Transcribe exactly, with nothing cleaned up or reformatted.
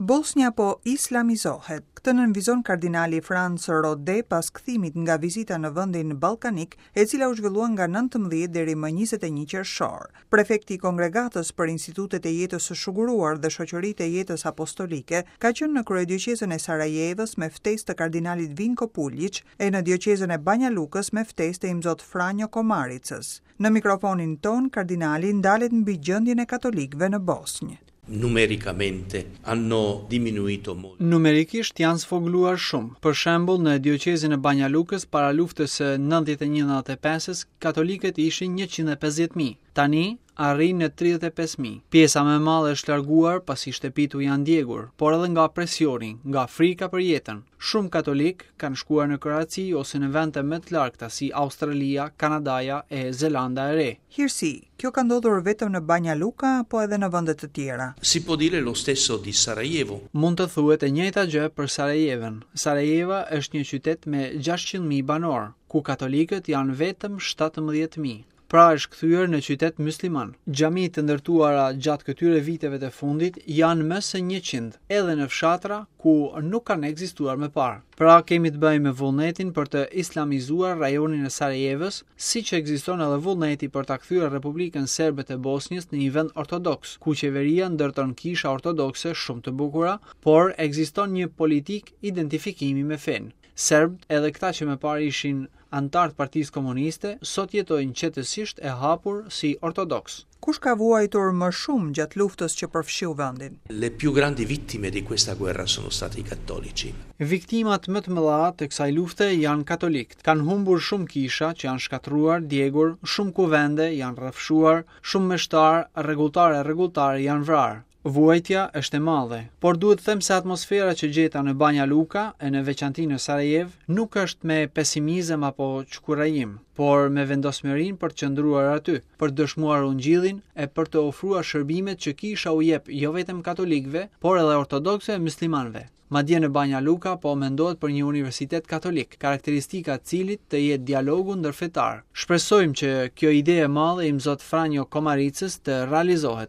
Bosnja po islamizohet. Këtë nënvizon kardinali Franc Rode pas kthimit nga vizita në vendin ballkanik, e cila u zhvillua nga nëntëmbëdhjetë deri më njëzet e një qershor. Prefekti i Kongregatës për Institutet e Jetës së Shuguruar dhe Shoqëritë e Jetës Apostolike ka qenë në kryedioqezën e Sarajevës me ftesë të kardinalit Vinko Puljic e në dioqezën e Banja Lukës me ftesë të Imzot Franjo Komaricës. Në mikrofonin ton, kardinali ndalet mbi gjendjen e katolikëve në Bosnjë. Numericamente hanno diminuito molto. Numerikisht janë sfogluar shumë. Për shembull, në dioqezën e Banja Lukës para luftës së nëntëdhjetë e një nëntëdhjetë e pesës, katolikët ishin njëqind e pesëdhjetë mijë. Tani arrin në tridhjetë e pesë mijë. Pjesa më e madhe është larguar pasi shtëpitë u janë djegur, por edhe nga presioni, nga frika për jetën. Shumë katolik kanë shkuar në Kroaci ose në vende më të largëta si Australia, Kanadaja e Zelanda e Re. Hirsi, kjo ka ndodhur vetëm në Banja Luka apo edhe në vende të tjera? Si può dire lo stesso di Sarajevo. Mund të thuhet e njëjta gjë për Sarajevën. Sarajeva është një qytet me gjashtëqind mijë banorë, ku katolikët janë vetëm shtatëmbëdhjetë mijë. Pra është kthyer në qytet musliman. Xhamitë të ndërtuara gjatë këtyre viteve të fundit janë më se njëqind, edhe në fshatra ku nuk kanë ekzistuar më parë. Pra kemi të bëjmë me vullnetin për të islamizuar rajonin e Sarajevës, siç ekziston edhe vullneti për ta kthyer Republikën Serbe të Bosnjës në një vend ortodoks, ku qeveria ndërton kisha ortodokse shumë të bukura, por ekziston një politikë identifikimi me fenë. Serbët, edhe këta që më parë ishin anëtar të Partisë Komuniste, sot jetojnë qetësisht e hapur si ortodoks. Kush ka vuajtur më shumë gjatë luftës që përfshiu vendin? Le più grandi vittime di questa guerra sono stati i cattolici. Viktimat më të mëdha të kësaj lufte janë katolikët. Kanë humbur shumë kisha që janë shkatërruar, djegur, shumë kuvende janë rrafshuar, shumë meshtar, rregulltarë e rregulltare janë vrarë. Vuajtja është e madhe, por duhet të them se atmosfera që gjeta në Banja Luka e në veçanti në Sarajevë nuk është me pesimizëm apo çkurajim, por me vendosmërinë për të qëndruar aty, për të dëshmuar ungjillin e për të ofruar shërbimet që kisha u jep jo vetëm katolikëve, por edhe ortodoksëve e muslimanëve. Madje në Banja Luka po mendohet për një universitet katolik, karakteristika e cilit të jetë dialogu ndërfetar. Shpresojmë që kjo ide e madhe e Imzot Franjo Komaricës të realizohet.